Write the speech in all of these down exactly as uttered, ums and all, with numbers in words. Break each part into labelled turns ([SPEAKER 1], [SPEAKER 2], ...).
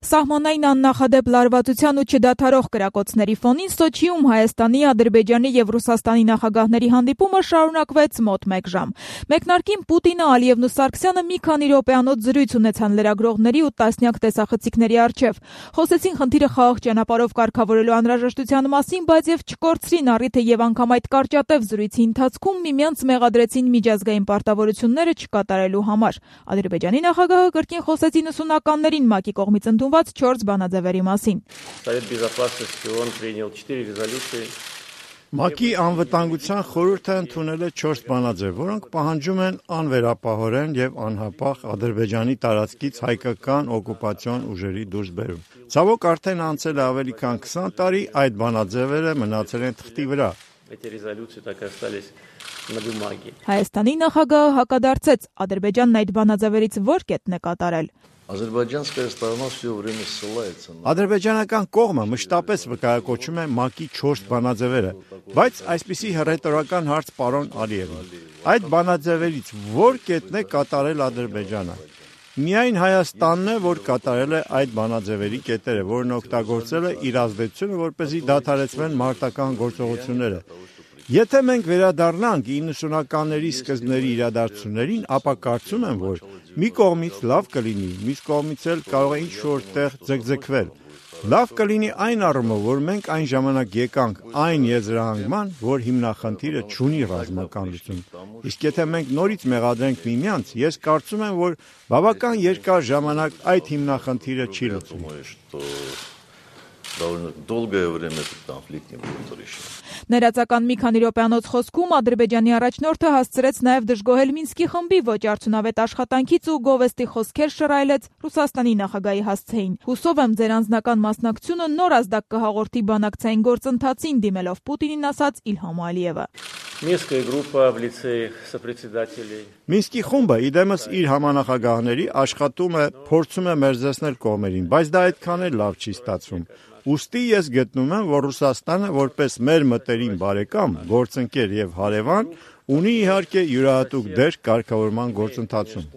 [SPEAKER 1] Սահմանային աննախադեպ լարվածության ու չդադարող կրակոցների ֆոնին Սոչիում Հայաստանի, Ադրբեջանի եւ Ռուսաստանի նախագահների հանդիպումը շարունակվեց մոտ մեկ ժամ։ Մեկնարկին Պուտինը, Ալիևն ու Սարգսյանը մի քանի րոպեանոց զրույց ունեցան լրագրողների ու տասնյակ տեսախցիկների առջև։ Խոսեցին խնդիրը խաղաղ ճանապարհով կարգավորելու անհրաժեշտության մասին, բայց եւ չկորցրին առիթը եւ անգամ այդ կարճատև զրույցի ընթացքում միմյանց մեղադրեցին միջազգային պարտավորությունները չկատարելու համար։ Ադրբեջանի նախագահը կրկին խոսեց իննսունականներին ՄԱԿ-ի կողմից ընդունված չորս բանաձևերի մասին։
[SPEAKER 2] ՄԱԿ-ի անվտանգության խորհուրդը ընդունել է չորս բանաձև, որոնք պահանջում են անվերապահորեն եւ անհապաղ Ադրբեջանի տարածքից հայկական օկուպացիոն ուժերի դուրսբերում։ Ցավոք արդեն անցել է ավելի քան քսան տարի, այդ բանաձևերը մնացել են թղթի վրա։
[SPEAKER 1] Հայաստանի նախագահը հակադարձեց, Ադրբեջանն այդ բանաձևերից ո՞ր կետն է կատարել։
[SPEAKER 2] Ադրբեջանական կողմը մշտապես վկայակոչում է ՄԱԿ-ի չորս բանաձևերը, բայց այսպիսի հռետորական հարց պարոն Ալիևին։ Այդ բանաձևերից ո՞ր կետն է կատարել Ադրբեջանը։ Միայն Հայաստանն է, որ կատարել է այդ բանաձևերի կետերը, որն օգտագործել է իր ազդեցությունը, որպեսզի դադարեցվեն մարտական գործողությունները։ Եթե մենք վերադառնանք իննսունականների սկզբների իրադարձություններին, ապա կարծում եմ, որ մի կողմից լավ կլինի, մյուս կողմից էլ կարող է ինչ-որ տեղ ձգձգվել։ Լավ կլինի այն առումով, որ մենք այն ժամանակ եկանք այն եզրահանգման, որ հիմնախնդիրը չունի ռազմական լուծում։ Իսկ եթե մենք նորից մեղադրենք միմյանց, ես կարծում եմ, որ բավական երկար ժամանակ այդ հիմնախնդիրը չի լուծվի։
[SPEAKER 1] Ներածական մի քանի րոպեանոց խոսքում Ադրբեջանի առաջնորդը հասցրեց նաև դժգոհել Մինսկի խմբի ոչ արդյունավետ աշխատանքից ու գովեստի խոսքեր շռայլեց Ռուսաստանի նախագահի հասցեին։ Հուսով եմ ձեր անձնական մասնակցությունը նոր ազդակ կհաղորդի բանակցային գործընթացին, դիմելով Պուտինին, ասաց Իլհամ Ալիևը։
[SPEAKER 2] Մինսկի խումբը իդեմս իր համանախագահների աշխատում է, փորձում է մերձեցնել կողմերին, բայց դա այդքան էլ լավ չի ստացվում։ Ուստի ես գտնում եմ, որ Ռուսաստանը որպես մեր մտերիմ բարեկամ, գործընկեր եւ հարևան, ունի իհարկե յուրահատուկ դեր կարգավորման գործընթացում։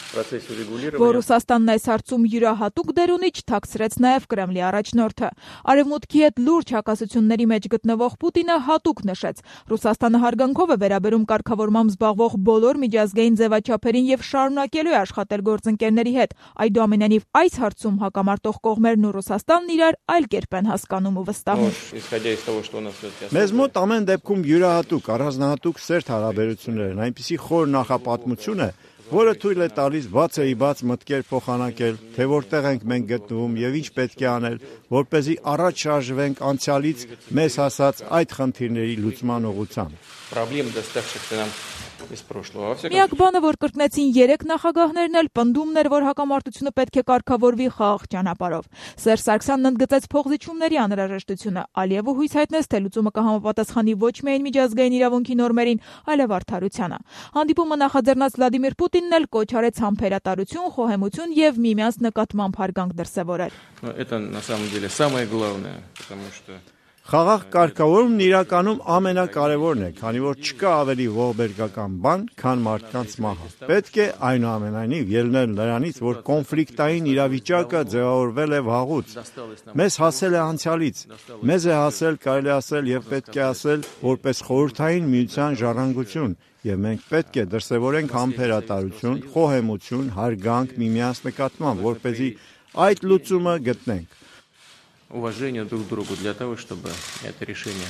[SPEAKER 1] Որ Ռուսաստանն այս հարցում յուրահատուկ դեր ունի, չթաքցրեց նաև Կրեմլի առաջնորդը։ Արևմուտքի հետ լուրջ հակասությունների մեջ գտնվող Պուտինը հատուկ նշեց. Ռուսաստանը հարգանքով է վերաբերում կարգավորմամբ զբաղվող բոլոր միջազգային ձևաչափերին եւ շարունակելու է աշխատել գործընկերների հետ։ Այդուամենայնիվ այս հարցում հակամարտող կողմերն ու Ռուսաստանն իրար այլ կերպ են հասկանում ու վստահում։
[SPEAKER 2] Մեզ մոտ ամեն դեպքում յուրահատուկ, առանձնահատուկ սերտ հարաբերություններ են, այնպիսի խոր նախապատմություն է, որը թույլ է տալիս բացեի բաց մտքեր փոխանակել, թե որտեղ ենք մենք գտնվում եւ ինչ պետք է անել, որպեսզի առաջ շարժվենք անցյալից մեզ հասած այդ խնդիրների լուծման ուղղությամբ։
[SPEAKER 1] Միակ բանը, որ կրկնեցին երեք նախագահներն էլ, պնդումն էր, որ հակամարտությունը պետք է կարգավորվի խաղաղ ճանապարհով։ Սերժ Սարգսյանն ընդգծեց փոխզիջումների անհրաժեշտությունը, Ալիևը հույս հայտնեց, թե լուծումը կհամապատասխանի ոչ միայն միջազգային իրավունքի նորմերին, այլև արդարությանը։ Հանդիպումը նախաձեռնած Վլադիմիր Պուտինն էլ կոչ արեց համբերատարություն, խոհեմություն եւ միմյանց նկատմամբ հարգանք դրսեւորել։
[SPEAKER 2] Խաղաղ կարգավորումն իրականում ամենակարևորն է, քանի որ չկա ավելի ողբերգական բան, քան մարդկանց մահը։ Պետք է այնուամենայնիվ ելնել նրանից, որ կոնֆլիկտային իրավիճակը ձևավորվել է վաղուց։ Մեզ հասել է անցյալից, մեզ է հասել, կարելի ասել եւ պետք է ասել, որպես խորհրդային միության ժառանգություն, եւ մենք պետք է դրսեւորենք համբերատարություն, խոհեմություն, հարգանք միմյանց նկատմամբ, որպեսզի այդ լուծումը գտնենք։
[SPEAKER 3] Уважение друг к другу для того, чтобы это решение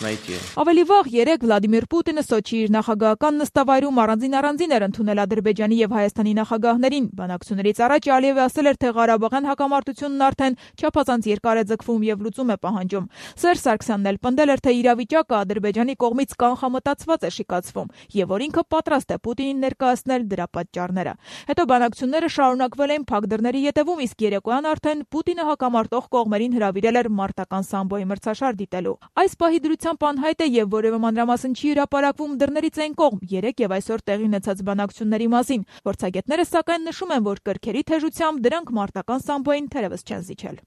[SPEAKER 3] найти.
[SPEAKER 1] Ավելի վաղ երեկ Վլադիմիր Պուտինը Սոչի իր նախագահական նստավայրում առանձին-առանձին էր ընդունել Ադրբեջանի եւ Հայաստանի նախագահներին։ Բանակցություններից առաջ Ալիևը ասել էր, թե Ղարաբաղյան հակամարտությունն արդեն չափազանց երկար է ձգվում եւ լուծում է պահանջում։ Սերժ Սարգսյանն էլ պնդել էր, թե իրավիճակը Ադրբեջանի կողմից կանխամտածված է շիկացվում եւ որ ինքը պատրաստ է Պուտինին ներկայացնել դրա պատճառները։ Հետո բանակցությունները շարունակվել էին փակ դռների ետևում, իսկ երեկոյան արդեն Պուտինը հակամարտող կողմերին հրավիրել էր մարտական սամբոյի մրցաշար դիտելու։ Այս պահի դրությամբ անհայտ է եւ որևէ մանրամասն չի հրապարակվում դռներից այն կողմ երեք եւ այսօր տեղի ունեցած բանակցությունների մասին։ Փորձագետները սակայն նշում են, որ կրքերի թեժությամբ դրանք մարտական սամբոյին թերևս չեն զիջել։